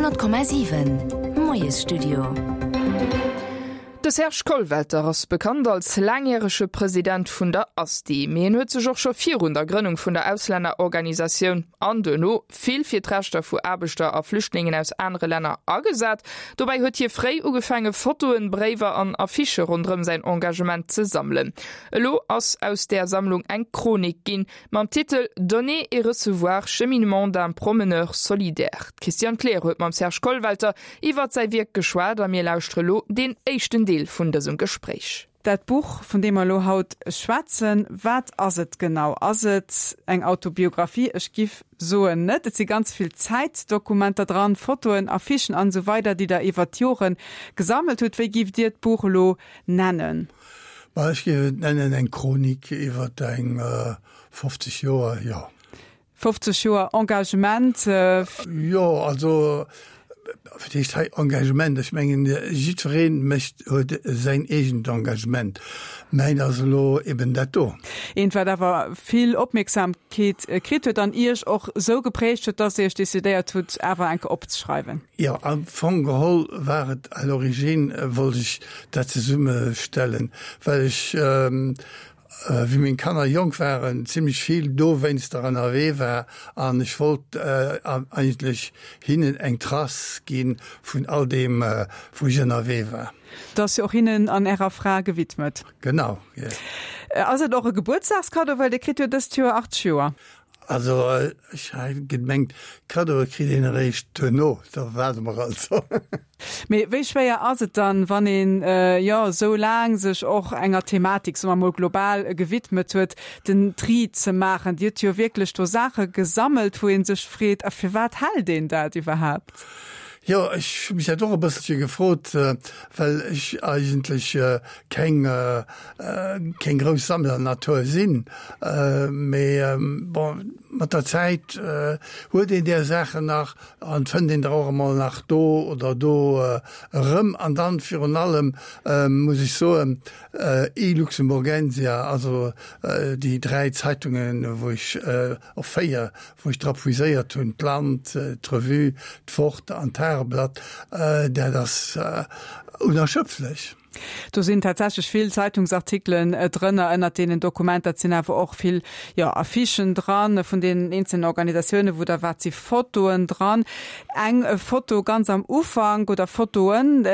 100,7 Moiesstudio. De Serge Kollwelter ass bekannt als laangjärege President vun der ASTI. Mee en huet sech och scho virun der Grënnung vun der Auslännerorganisatioun an duerno vill fir d'Rechter vu Aarbechter a Flüchtlingen aus anere Länner agesat. Dobäi huet hie fréi ugefaange Fotoen, Bréiwer an Affichë ronderëm säin Engagement ze sammelen. Elo ass aus där Sammlung eng Chronik ginn, Mam Titel Donner et recevoir, cheminement d'un promeneur solidaire. D'Christiane Kleer huet mam Serge Kollwelter iwwert säi Wierk geschwat a mir lauschtere lo deen éischten Deel vun dësem Gespréich. Dat Buch, vun deem mer elo haut schwätzen, wat ass et genau? Ass et eng Autobiographie? Ech giff soen net. Et si ganz vill Zäitdokumenter dran, Fotoen, Affichen an esou weider, déi Der iwwert d'Jore gesammelt hutt. Wéi giff Dir d'Buch elo nennen? Bah, ech géif et nennen eng Chronik iwwer eng 50 Joer, jo. 50 Joer Engagement. Jo, also, wat heescht hei Engagement? Ech mengen, jiddweree mécht, huet säin eegent Engagement. Mäin ass elo eben dat do. Eent, wat awer vill Opmierksamkeet kritt huet an Iech och esou geprägt huet, dass Dir Iech decidéiert hutt, awer enke opzeschreiwen. Jo, am Fong geholl war et à l'origine, wollt ech dat zesummestellen, well ech, wéi meng Kanner jonk waren, zimlech vill dowéinster ënnerwee war an ech wollt eigentlech hinnen eng Trace gi vun all deem, wou ech ënnerwee war. Et ass jo och hinnen an Ärer Fra gewidmet. Genau, jo. Ass et och e Gebuertsdagskaddo, well Dir kritt jo dëst Joer 80 Joer? Also ech hat gemengt, Kaddoe kritt een eréischt duerno, da waarde mer also. Mee wéi schwéier ass et dann, wann een, jo, esou laang sech och enger Thematik, soe mer mol global, gewidmet huet, den Tri ze maachen? Dir hutt jo wierklech do Saache gesammelt, wou ee sech freet, a firwat hält een dat iwwerhaapt? Jo, ech hu mech dat och e bësselche gefrot, well ech eigentlech keng keng grouss Sammlernatur sinn, mee bon, mat der Zäit huet een där Saachen nach an fënnt een der och emol nach do oder do erëm. An dann virun allem muss ech soen, e-Luxemburgensia, also déi 3 Zeitungen, wou ech, och 4, wou ech dra puiséiert hunn, d'Land, d'Revue, d'Wort an d'Tageblatt, dat ass unerschöpflech. Do sinn tatsächlech vill Zeitungsartikelen drënner ënnert deenen Dokumenter. Et sinn awer och vill, jo, Affichen dran vun deenen eenzelnen Organisatiounen, wou der wat si Fotoen dran. Eng Foto ganz am Ufank oder Fotoen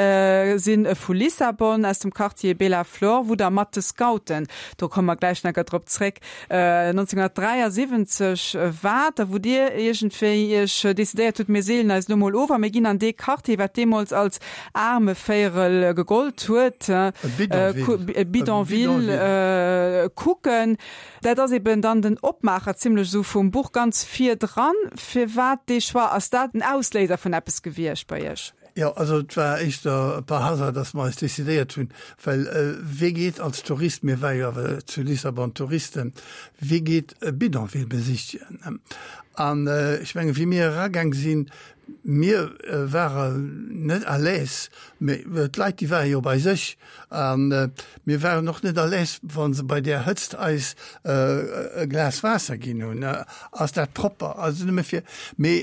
si vu Lissabon aus dem Quartier Bela Flor, wou der mat de Scouten, do komme mer gläich nach drop zréck, 1973 waart a wou Dir iergendwéi Iech decidéiert hutt, mir seelen eis elo mol of a mir ginn an dee Quartier, wat deemools als Aarmevéierel gegollt huet, e Bidonville, kucken. Dat ass eben dann den Opmaacher zimlech esou vum Buch ganz virdran. Firwat dee Choix? Ass dat en Ausléiser vun eppes gewiescht bei Iech? Jo, also et war éischter par hasard, dass mer eis decidéiert hunn, well wee geet als Tourist, mir ware jo awer zu Lissabon Touristen, wee geet e Bidonville besichtegen? An ech mengen, wéi mir eragaang sinn, mir waren net à l'aise, mee d'Leit, déi ware jo bei sech. A mir waren och net à l'aise, wa se bei där Hëtzt eis e Glas Waasser ginn hunn. Ass dat propper? Also nëmme fir, mee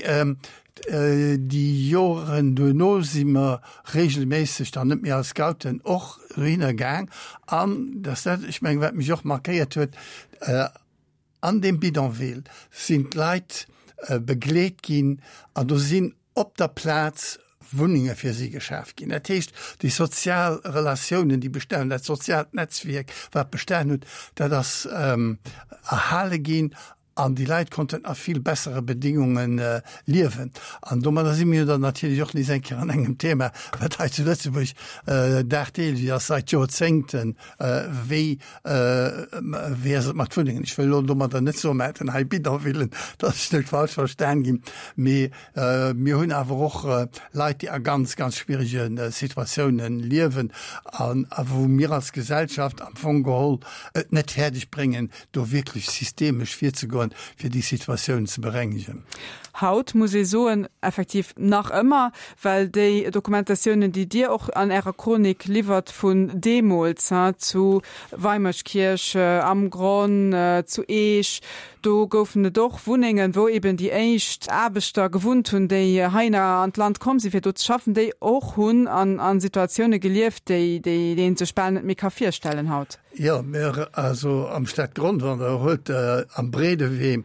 Déi Joren duerno si mer regelméisseg, dann net méi als Scouten, och dohinner gaang. An dass dat, ech mengen, wat mech och markéiert huet, an deem Bidonville sinn d'Leit begleet ginn an do sinn op der Plaz Wunnenge fir si geschaf ginn. Dat heescht, déi sozial Relatiounen, déi bestan, dat soziaalt Netzwierk, wat bestan huet, dat ass erhale ginn An déi Leit konnten a vill bessere Bedingunge liewen. An domadder si mir jo dann natierlech och nees eng Kéier an engem Thema, wat hei zu Lëtzebuerg dagdeelech ass, seit Joerzéngten, wéi, wéi ass et mat Wunnengen? Ech wëll elo domadder net soen, mer hätten hei Bidonvillen, dass ech net falsch verstan ginn, mee mir hunn awer och Leit, déi a ganz, ganz schwierege Situatiounen liewen an a wou mir als Gesellschaft am Fong geholl et net fäerdeg bréngen, do wierklech systemesch virzegoen, fir déi Situatioun ze berengegen. Haut muss ee soen, effektiv nach ëmmer, well déi Dokumentatiounen, déi Dir och an Ärer Chronik liwwert vun deemools, zu Weimerskirch, am Gronn, zu Eech, Do goufen et och Wunnengen, wou eben déi éischt Aarbechter gewunnt hunn, déi heihinner an d'Land komm sinn, fir do ze schaffen, déi och hunn an Situatioune gelieft, déi ee sech bal net méi ka virstellen haut. Jo, mir also am Stadgronn, wann Der huelt am Breedewee,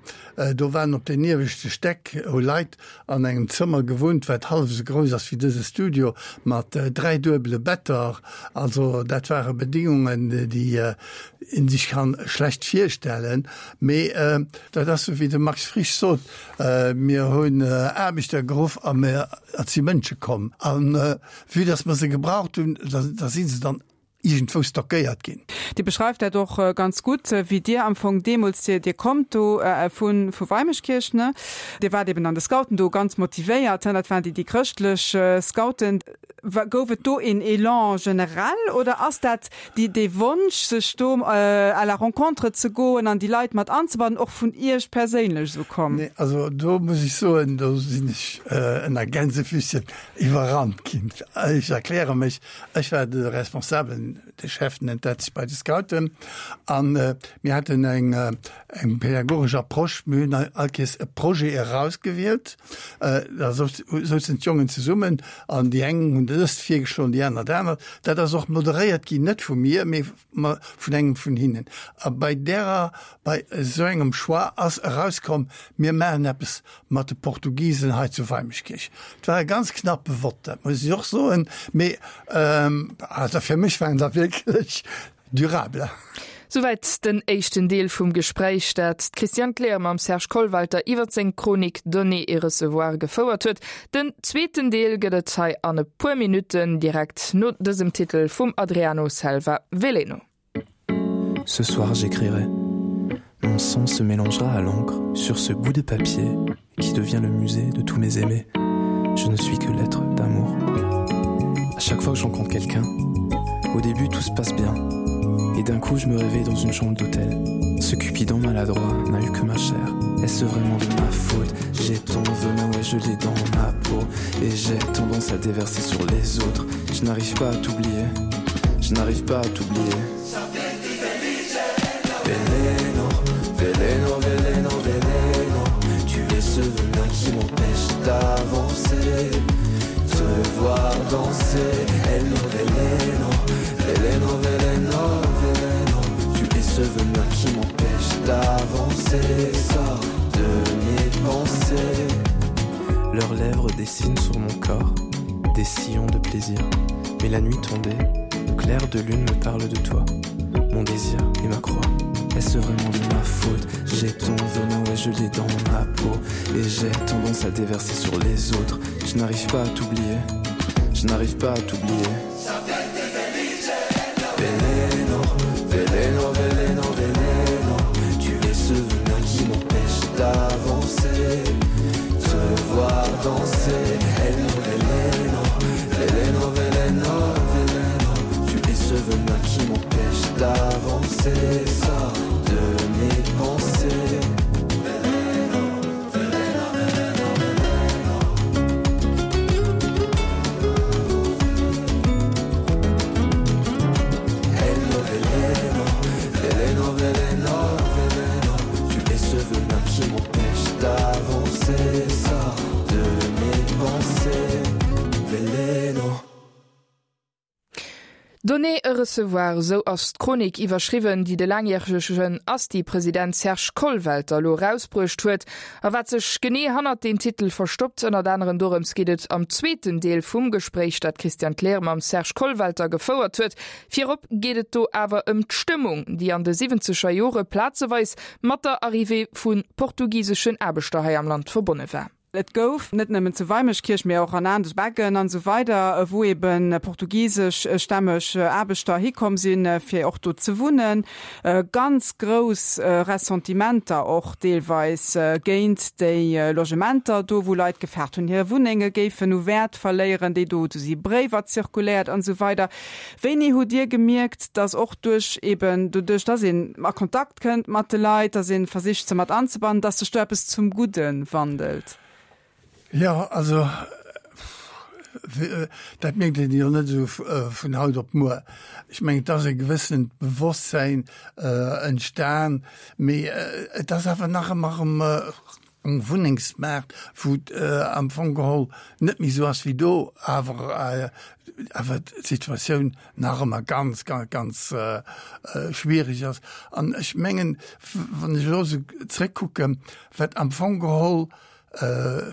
do waren op den ieweschte Stäck hu Leit an engem Zëmmer gewunnt, wat hallef esou grouss ass wéi dëse Studio, mat 3 duebele Better. Also dat ware Bedingungen, déi een sech kann schlecht virstellen. Mee dat ass esou wéi de Max Frisch sot, Mir hunn Aarbechter geruff a mir, et si Mënsche komm. A vue dass mer se gebraucht hunn, da si se dann iergendwou stockéiert ginn. Dir beschreift dat och ganz gutt, wéi Dir am Fong deemools, Dir, Dir kommt do vu, vu Weimeschkierch, ne? Dir waart eben an de Scouten do ganz motivéiert, dat waren déi, déi chrëschtlech Scouten. Gouf et do een Elan generell oder ass dat déi, dee Wonsch, sech do à la rencontre ze goen an déi Leit mat anzebannen, och vun Iech perséinlech esou komm? Nee, also do muss ech soen, do sinn ech ënner Gänsefüßchen iwwerrannt ginn. Ech erkläre mech, Ech war de Responsabelen, de Chef nennt dat sech bei de Scouten, a mir haten eng eng pädagogesch Approche. Mir hunn all Kees e Projet erausgewielt, da souzen d'Jongen zesummen an déi eng hunn dëst virgeschloen, déi aner dat anert. Dat ass och moderéiert ginn, net vu mir, mee vun engem vun hinnen. A bei därer, bei esou engem Choix ass erauskomm, mir maachen eppes mat de Portugisen hei zu Weimeschkierch. Et war e ganz knappe Vott, dat muss ech och soen, mee also fir mech waren se wierklech durable. Souwäit den éischten Deel vum Gespréich, dat d'Christiane Kleer mam Serge Kollwelter iwwer seng Chronik Donner et recevoir gefouert huet. Den zweeten Deel gëtt et hei an e puer Minutten, direkt no dësem Titel vum Adriano Selva Veleno. Ce soir j'écrirai. Mon sang se mélangera à l'encre sur ce bout de papier qui devient le musée de tous mes aimés. Je ne suis que l'être d'amour. À chaque fois que je rencontre quelqu'un, au début tout se passe bien. Et d'un coup je me réveille dans une chambre d'hôtel. Ce cupidon maladroit n'a eu que ma chair. Est-ce vraiment de ma faute? J'ai ton venin et je l'ai dans ma peau et j'ai tendance à déverser sur les autres. Je n'arrive pas à t'oublier. Je n'arrive pas à t'oublier. Veleno, veleno, veleno, veleno. Tu es ce venin qui m'empêche d'avancer. Te voir danser. Hello, veleno, veleno, veleno, veleno. Tu es ce venin qui m'empêche d'avancer. Sors de mes pensées. Leurs lèvres dessinent sur mon corps des sillons de plaisir. Mais la nuit tombée, le clair de lune me parle de toi. Mon désir et ma croix. Est-ce vraiment de ma faute? J'ai ton venin et je l'ai dans ma peau. Et j'ai tendance à déverser sur les autres. Je n'arrive pas à t'oublier. Je n'arrive pas à t'oublier. Veleno, veleno, veleno, veleno. Tu es ce venin qui m'empêche d'avancer. Te voir danser. Hello, veleno, veleno, veleno, veleno. Tu es ce venin qui m'empêche d'avancer. Sors de mes pensées. Donner et recevoir, esou ass d'Chronik iwwerschriwwen, déi de laangjäregen Asti-President Serge Kollwelter elo erausbruecht huet. A wat sech genee hannert deem Titel verstoppt, ënnert anerem dorëms geet et am zweeten Deel vum Gespréich, dat d'Christiane Kleer mam Serge Kollwelter gefouert huet. Virop geet et do awer ëm d'Stëmmung, déi an de siwwenzeger Jore plazeweis mat der Arrivée vu portugiseschen Aarbechter hei am Land verbonne war. Et gouf, net nëmmen zu Weimeschkierch, mee och an Aandeg, Beggen an esou weider, wou ebe portugiseschstämmeg Aarbechter hikomm sinn, fir och do ze wunnen, ganz grouss Ressentimenter och deelweis géint déi Logementer do, wou Leit gefaart hunn, hir Wunnenge géifen u Wäert verléieren, déi do, do si Bréiwer zirkuléiert an esou weider. Wéini hutt Dir gemierkt, dass och duerch eben doduerch, dass een a Kontakt kënnt mat de Leit, dass ee versicht se mat anzebannen, dass sech do eppes zum Gudde wandelt? Jo, also. Dat mierkt een jo net esou vun haut op muer. Ech mengen, et ass e gewëssent Bewosstsäin entstan, mee et ass awer nach ëmmer erëm um Wunnengsmaart, wou et am Fong geholl net méi esou ass wéi do, awer awer d'Situatioun nach ëmmer ganz, ganz, ganz schwierig ass. An ech mengen, wann ech elo esou zréckkucken, wat am Fong geholl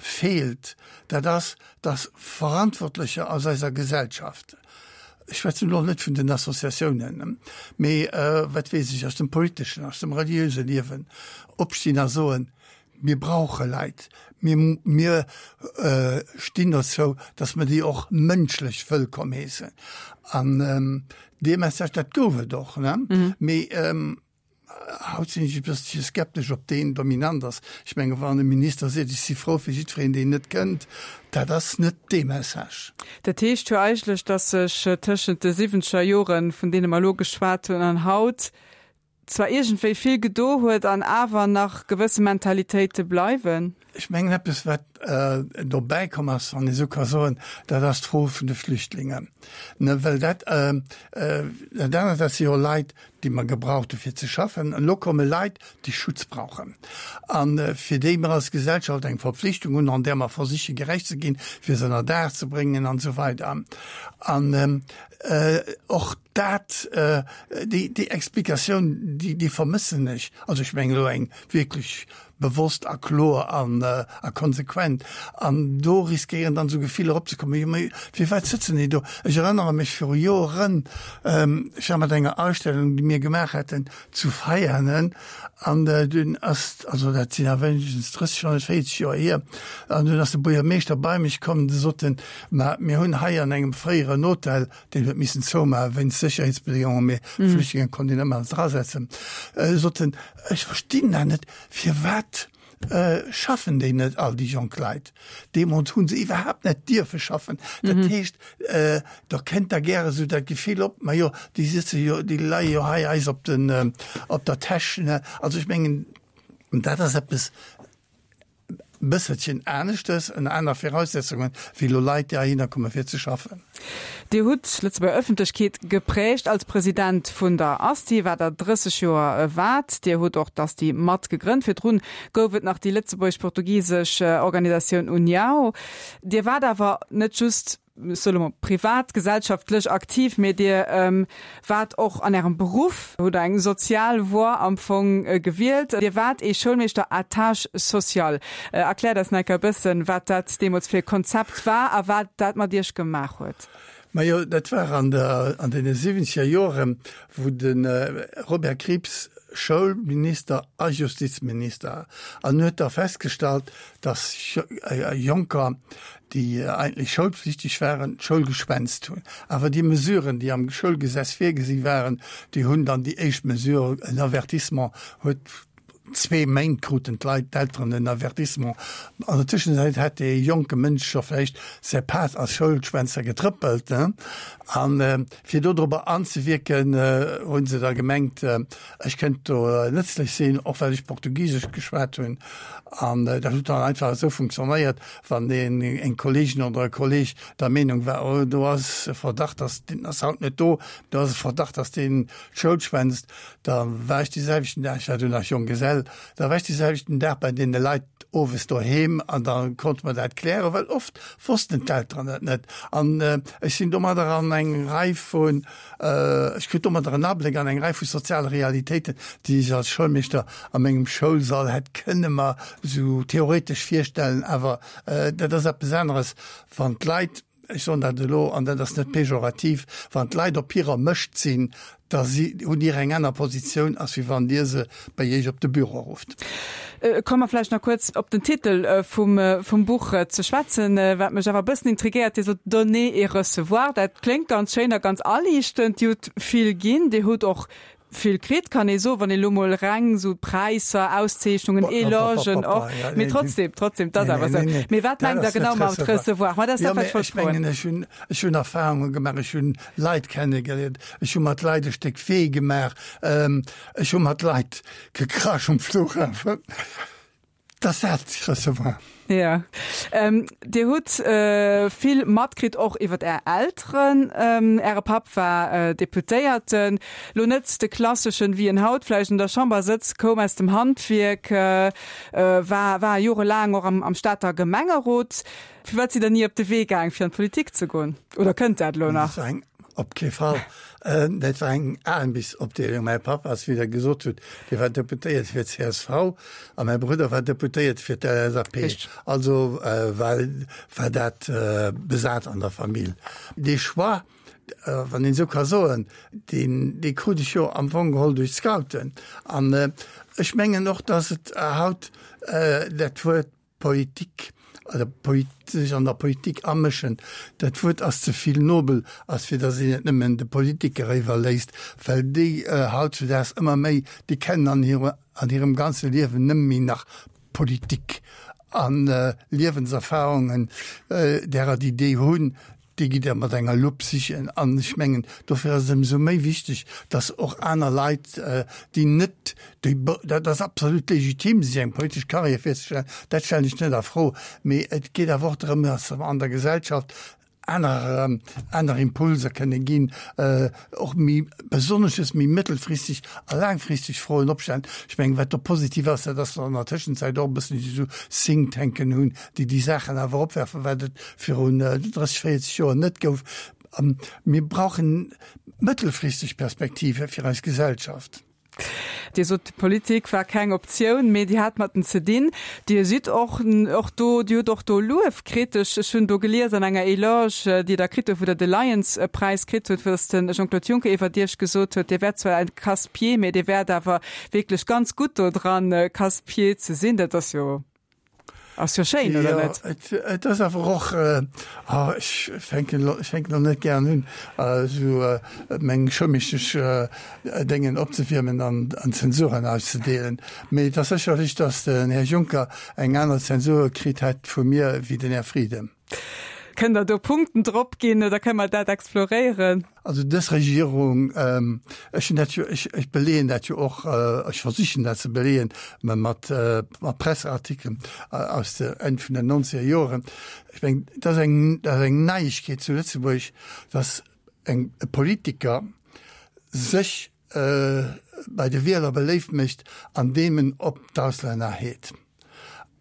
feelt, dat ass, dass Verantwortlecher aus eiser Gesellschaft, ech schwätzen elo net vun den Associatiounen, mee wat weess ech, aus dem politeschen, aus dem reliöse Liewen, opstinn a soen, Mir brauche Leit, mir, mir stinn dozou, dass mer déi och mënschlech wëllkomm heessen. An dee Message, dat gouf et och, ne? Mee Haut sinn ech e bësselche skeptesch, ob deen dominant ass. Ech menge wann e Minister seet, ech si frou fir jiddwereen, deen net kënnt, dat ass net dee Message. Dat heescht jo eigentlech, datt sech tëschent de siwwenzeger Joren, vun deene mer elo geschwat hunn, an haut zwar iergendwéi vill gedo huet an awer nach gewësse Mentalitéite bleiwen. Ech mengen eppes wat dobäi komm ass, wann ee sou ka soen, dat ass d'Fro vun de Flüchtlingen. Ne, well dat, dat anert, dat si jo Leit, déi mer gebraucht hu fir ze schaffen. Elo komme Leit, déi Schutz brauchen a fir déi mer als Gesellschaft eng Verpflichtung hunn, an där mer versiche gerecht ze ginn, fir se ënner Daach ze bréngen an esou weider. An och dat, déi, déi Explikatioun, déi, déi vermëssen ech. Also ech mengen elo eng wierklech bewosst a kloer an a konsequent. An do riskéieren dann esou Gefiller opzekommen, jo mee firwat sëtzen déi do? Ech erënnere mech viru Joren, ech war mat enger Ausstellung, déi mir gemaach haten, zu Veianen an dunn ass, also dat sinn awer wéinegstens 30, wann net 40 Joer hier, an dunn ass de Buergermeeschter bei mech komm, de sot en, ma mir hunn hei an engem fréieren Hotel, deen huet missen zoumaachen wéinst Sécherheetsbedéngungen, mee Flüchtlinge konnt een ëmmer drasetzen, sot en, ech verstinn dat net, firwat schaffen déi net all, déi jonk Leit? Deemools hu se iwwerhaapt net dierfe schaffen. Dat heescht, da kënnt da gäre sou dat Gefill op, ma jo, déi sëtze jo, déi leie jo hei eis op den, op der Täsch. Also ech mengen, dat ass eppes, bësselchen aneschtes, ënner aner Viraussetzungen, wéi elo Leit, déi heihinner komme fir ze schaffen. Dir hutt d'Lëtzebuerger Ëffentlechkeet geprägt als President vun der Asti, wat Der 30 Joer waart. Dir hutt och d'Asti mat gegrënnt. Virdrun gouf et nach déi lëtzebuergesch-portugisesch Organisatioun União. Dir waart awer net just ech soe lo mol, privat, gesellschaftlech aktiv, mee Dir waart och an Ärem Beruff, hutt Der eng sozial Voie am Fong gewielt. Dir waart ee Schoulmeeschter à tâche sociale. Erkläert eis nach eng Kéier e bëssen, wat dat deemools fir e Konzept war a wat dat mat Iech gemaach huet. Majo, dat war an der, an deene siwwenzeger Joren, wou de Robert Krieps Schoulminister a Justizminister an huet da festgestallt, dass Jonker, déi eigentlech schoulpflichteg waren, d'Schoul geschwänzt hunn. Awer déi Mesuren, déi am Schoulgesetz virgesi waren, déi hunn dann déi éischt Mesure, en Avertissement, huet zwee Méint kruten d'Leit, d'Elteren en Avertissement. An der Tëschenzäit hätt dee jonke Mënsch scho vläicht säi Pad als Schoulschwänzer getrëppelt. An fir dodrobber anzewierken, hu se da gemengt, ech kënnt do nëtzlech sinn, och well ech Portugisesch geschwat hunn. An dat huet dann einfach esou funktionéiert, wann een, eng Kolleegin oder e Kolleeg der Meenung war, oh do ass e Verdacht, dass deen ass haut net do, do ass e Verdacht, dass deen d'Schoul schwänzt, da war ech dee selwechten Dag, ech war du nach Jonggesell, da war ech dee selwechten Dag bei deene Leit owes doheem an da konnte mer dat klären, well oft wossten d'Elteren dat net. An ech sinn domadder an eng Rei vun Ech krut domadder en Abléck an eng Rei vu soziale Realitéiten, déi ech als Schoulmeeschter a mengem Schoulsall hätt kënne mer esou theoretesch virstellen. Awer dat ass eppes aneres, wann d'Leit, ech soen dat elo, an dat ass net pejorativ, wann d'Leit op hirer Mëscht sinn, da si hutt Dir eng aner Positioun, als wéi wann Dir se bei Iech op de Büro rufft. Komme mer vläicht nach kuerz op den Titel vum Buch ze schwätzen, wat mech awer e bëssen intriguéiert. Dir sot Donner et recevoir, dat kléngt ganz schéin a ganz aliichtend. Dir hutt vill ginn, Dir hutt och vill kritt, kann ee soen, wann ee lo mol reng esou Präisser, Auszeechnungen, Elogen och. Mee trotzdem, trotzdem, 't ass awer esou. Mee wat mengt Der genau mat recevoir? Ma dat ass dat, wat ech wollt froen. Ech mengen, ech hunn Erfahrunge gemaach, ech hunn Leit kennegeléiert, ech hu mat Leit e Stéck Wee gemaach, ech hu mat Leit gekrasch um Flughafen. Dass dat recevoir. Jo. Dir hutt vill matkritt och iwwer Är Elteren. Äre Papp war Deputéierten, lo net de klasseschen, wéi en haut vläicht an der Chamber sëtzt, koum aus dem Handwierk, war war jorelaang och am Stater Gemengerot. Firwat sidd Der ni op de Wee gaang, fir an d'Politik ze goen? Oder kënnt dat elo nach? Op kee Fall. Dat war eng Aarbechtsopdeelung. Mäi Papp ass, wéi Der gesot hutt, dee war Deputéierte fir d'CSV a mäi Brudder war Deputéierte fir d'LSAP. Also war, war dat besat an der Famill. Dee Choix, wann een esou ka soen, deen, dee krut ech jo am Fong geholl duerch d'Scouten. An ech mengen och, dass et haut dat Wuert Politik oder sech an der Politik amëschen, dat Wuert ass ze vill nobel, ass fir datt een et nëmmen de Politiker iwwerléisst, well déi hautzudaags ëmmer méi, déi kennen an hire an hirem ganze Liewen nëmme méi nach Politik a Liewenserfahrungen därer déi déi hunn, Déi gitt Der mat enger Lupp sichen. An ech mengen, dofir ass et ëmsou méi wichteg, dass och aner Leit, déi net, déi, dat ass absolut legitim, sech eng politesch Carrière virzestellen, dat stellen ech net a Fro, mee et geet awer och drëm, dass mer an der Gesellschaft aner, aner Impulser kënne ginn, och méi, besonnesches méi mëttelfristeg a laangfristeg Froen opstellen. Ech mengen, wat do positiv ass, dat ass, dass mer an der Tëschenzäit och e bëssen esou Think-Tanken hunn, déi déi Saachen awer opwerfen, wat et virun 30, 40 Joer net gouf. Mir brauchen mëttelfristeg Perspektive fir eis Gesellschaft. Dir sot, d'Politik war keng Optioun, mee Dir hat mat en ze dinn. Dir sidd och och do, Dir hutt och do Luef kritt. Ech ech hunn do gelies an enger Eloge, déi Der kritt hutt, wou Der de Lions-Präis kritt hutt, wou dass de Jean-Claude Juncker iwwert Iech gesot huet, Dir wäert zwar en Casse-pieds, mee Dir wäert awer wierklech ganz gutt do dran, Casse-pieds ze sinn. Dat ass jo. Ass jo schéin, oder net? Jo, et ass awer och, oh, ech fänken elo, ech fänken elo net gären un, esou meng schëmmechteg Déngen opzewiermen an Zensuren auszedeelen. Mee et ass sécherlech, datt den Här Juncker eng aner Zensur kritt hätt vu mir wéi den Här Frieden. Kënnt Der do Punkten drop ginn oder kënne mer dat exploréieren? Also dës Regierung, ech hunn dat jo, ech, ech beleeën dat jo och, ech versichen dat ze beleeën mat, mat Presseartikelen aus de Enn vun den nonzeger Joren. Ech mengen, dat ass eng, dat ass eng Neiegkeet zu Lëtzebuerg, dass eng, e Politiker sech bei de Wieler beléift mécht, andeem en op d'Auslänner heet.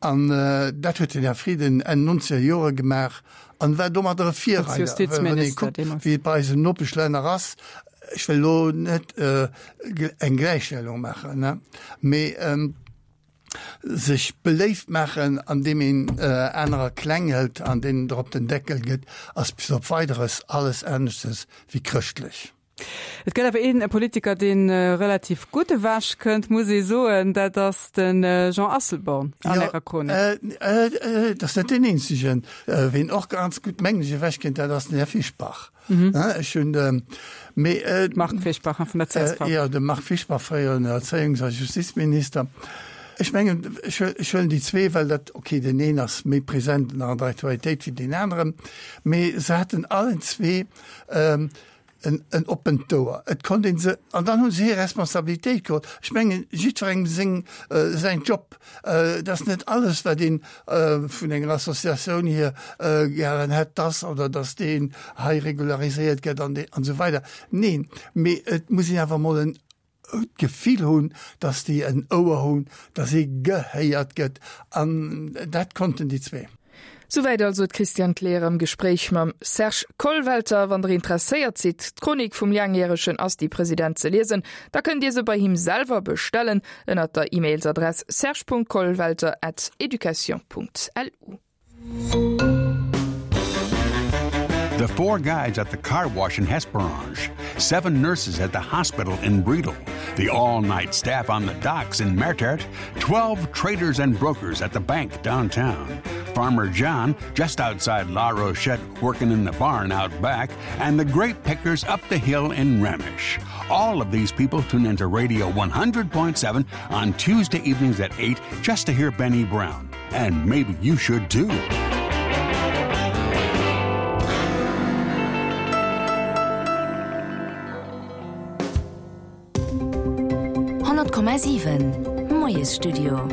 An dat huet den Här Frieden Enn nonzeger Jore gemaach an war domadder e Virreider. Well wann ee kuckt, wéi et bei eisen Nopeschlänner ass, ech wëll elo net eng Gläichstellung maachen, mee sech beléift maachen, andeem een anerer kleng hëlt an deenen der op den Deckel gëtt, ass bis op Weideres alles aneschtes wéi chrëschtlech. Et gëtt awer een Politiker, dee relativ gutt ewech kënnt, muss ee soen, dat ass de Jean Asselborn an Ärer Chronik. Jo, et ass net deen eenzegen. Ween och ganz gutt, mengen ech, ewech kënnt, dat ass den Här Fischbach. Ech hunn, mee. Marc Fischbach vun der csv. Jo, de Marc Fischbach, fréieren Erzéiungs a Justizminister. Ech mengen, ech huelen déi zwee, well dat, okay, deen een ass méi present an der Aktualitéit wéi deen aneren, mee se haten allen zwee en en oppent Ouer. Et konnt een se, an dann hu se hir Responsabilitéit geholl. Ech mengen, jiddwerengem seng, säin Job. Et ass net alles, wat een vun enger Associatioun hier gären hätt, dass oder dass deen hei regulariséiert gëtt an dee an esou weider. Neen, mee et muss een awer emol en d'Gefill hunn, dass déi en Ouer hunn, dass ee gehéiert gëtt, an dat konnten déi zwee. Souwäit also d'Christiane Kleer am Gespréich mam Serge Kollwelter. Wann der interesséiert sidd, d'Chronik vum laangjäregen Asti-President ze liesen, da kënnt Dir se bei him selwer bestellen ënnert der E-Mailsadress serge.kollwelter at education.lu. The four guides at the car wash in Hesperange, seven nurses at the hospital in Bredal, the all-night staff on the docks in Mertert, 12 traders and brokers at the bank downtown, Farmer John just outside La Rochette working in the barn out back, and the grape pickers up the hill in Remish. All of these people tune into Radio 100.7 on Tuesday evenings at 8 just to hear Benny Brown. And maybe you should too. Moiesstudio.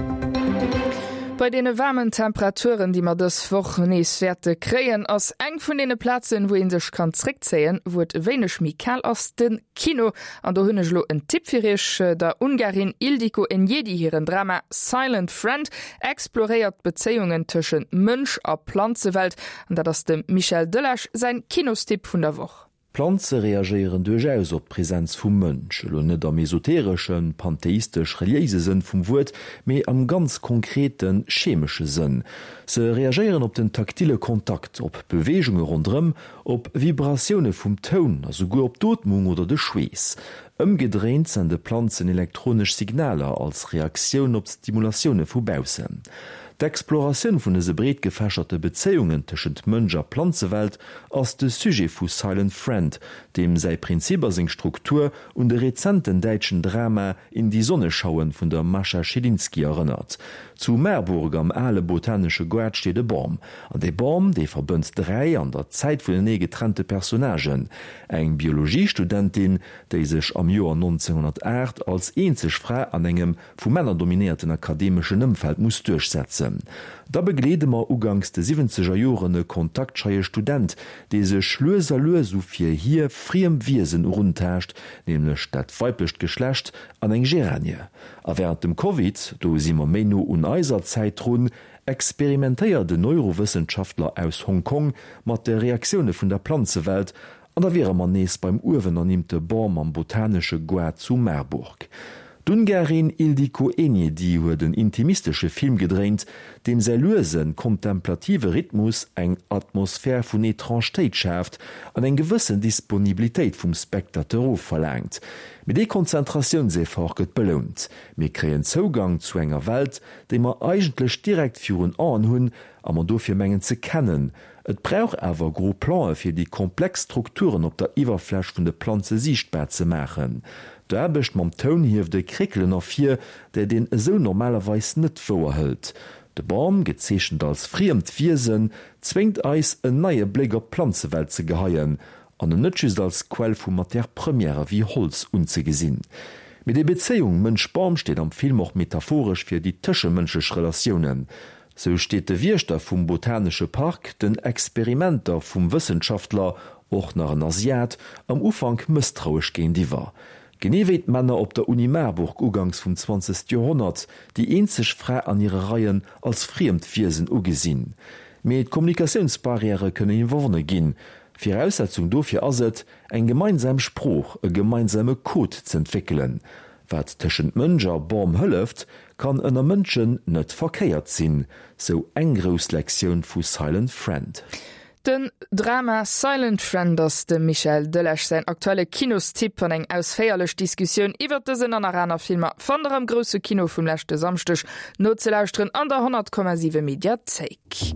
Bei deene waarmen Temperaturen, déi mer dës Woch nees wäerte kréien, ass eng vun deene Plazen, wou ee sech kann zréckzéien, wou et e wéineg méi kal ass, de Kino. An do hunn ech elo en Tipp fir iech, Der Ungarin Ildiko Enyedi hiren Drama Silent Friend exploréiert d'Bezéiungen tëschent Mënsch a Planzewelt. An dat ass dem Michel Delage säin Kinostipp vun der Woch. Planze reagéieren duerchaus op d'Presenz vum Mënsch, elo net am esotereschen, pantheistesch-reliéise Sënn vum Wuert, mee am ganz konkreten, chemesche Sënn. Se reagéieren op den taktile Kontakt, op Beweegunge ronderëm, op Vibratioune vum Toun a souguer op d'Ootmung oder de Schweess. Ëmgedréint sende Planzen elektronesch Signaler als Reaktioun op d'Stimulatioune vu baussen. D'Exploratioun vun dëse breet gefächerte Bezéiungen tëschent Mënsch a Planzewelt ass de Sujet vu Silent Friend, deem säi Prinzip a seng Struktur un de rezenten däitschen Drama In die Sonne schauen vun der Mascha Schilinski erënnert. Zu Marburg am ale botanesche Goart steet e Bam. An dee Bam, dee verbënnt 3 an der Zäit vunenee getrennte Personnagen, eng Biologiestudentin, déi sech am Joer 1908 als eenzeg Fra an engem vu Männer dominéierten akademeschen Ëmfeld muss duerchsetzen. Da begleede mer uganks de siwwenzeger Joren e kontaktscheie Student, dee sech lues a lues u fir hie friem Wiesen eruntaascht, nämlech dat weiblecht Geschlecht an eng Geranie. A wärend dem Covid, do si mer méi no un eiser Zäit drun, experimentéiert en Neurowëssenschaftler aus Hong Kong mat de Reaktioune vun der Planzewelt An da wiere mer nees beim uewen ernimmte Bam am botanesche Goart zu Marburg. D'Ungarin Ildikó Enyedi huet en intimistesche Film gedréint, deem säi luesen, kontemplative Rhythmus eng Atmosphär vun Etrangetéit schaaft an eng gewëssen Disponibilitéit vum Spectateur ofverlaangt. Mee dee Konzentratiounseffort gëtt belount. Mir kréien Zougang zu enger Welt, déi mer eigentlech direkt virun Aen hunn a mer dofir mengen ze kennen, Et brauch awer gros Plan'e fir déi komplex Strukturen op der Iwwerfläch vun de Planze siichtbar ze maachen. D'Aarbecht mam Toun hieft e Kréckelen ervir, dat een esou normalerweis net wouer hëlt. De Bam, gezeechent als friemt Wiesen, zwéngt eis, en neie Bléck op d'Planzewelt ze geheien an en net just als Quell vu Matière première wéi Holz unzegesinn. Mee déi Bezéiung Mënsch-Bam steet am Film och metaphoresch fir déi tëschemënschlech Relatiounen. Sou steet de Wiechter vum botanesche Park den Experimenter vum Wëssenschaftler, och nach en Asiat, am Ufank mësstrauesch géintiwwer. Genee wéi d'Männer op der Uni Marburg uganks vum 20. Joerhonnert déi eenzeg Fra an hire Reien als friemt Wiesen ugesinn. Mee d'Kommunikatiounsbarrièrë kënnen iwwerwonne ginn. Viraussetzung dofir ass et, eng gemeinsam Sprooch, e gemeinsame Code z'entwéckelen. Wat tëschent Mënsch a Bam hëlleft, kann ënner Mënschen net verkéiert sinn, sou eng grouss Lektioun vu Silent Friend. Den Drama Silent Friend ass dem Michel Delage säin aktuelle Kinostipp an eng ausféierlech Diskussioun iwwert dësen an nach aner Filmer fannt der am grousse Kino vum leschte Samschdeg nozelauschteren an der 100,7 Mediathéik.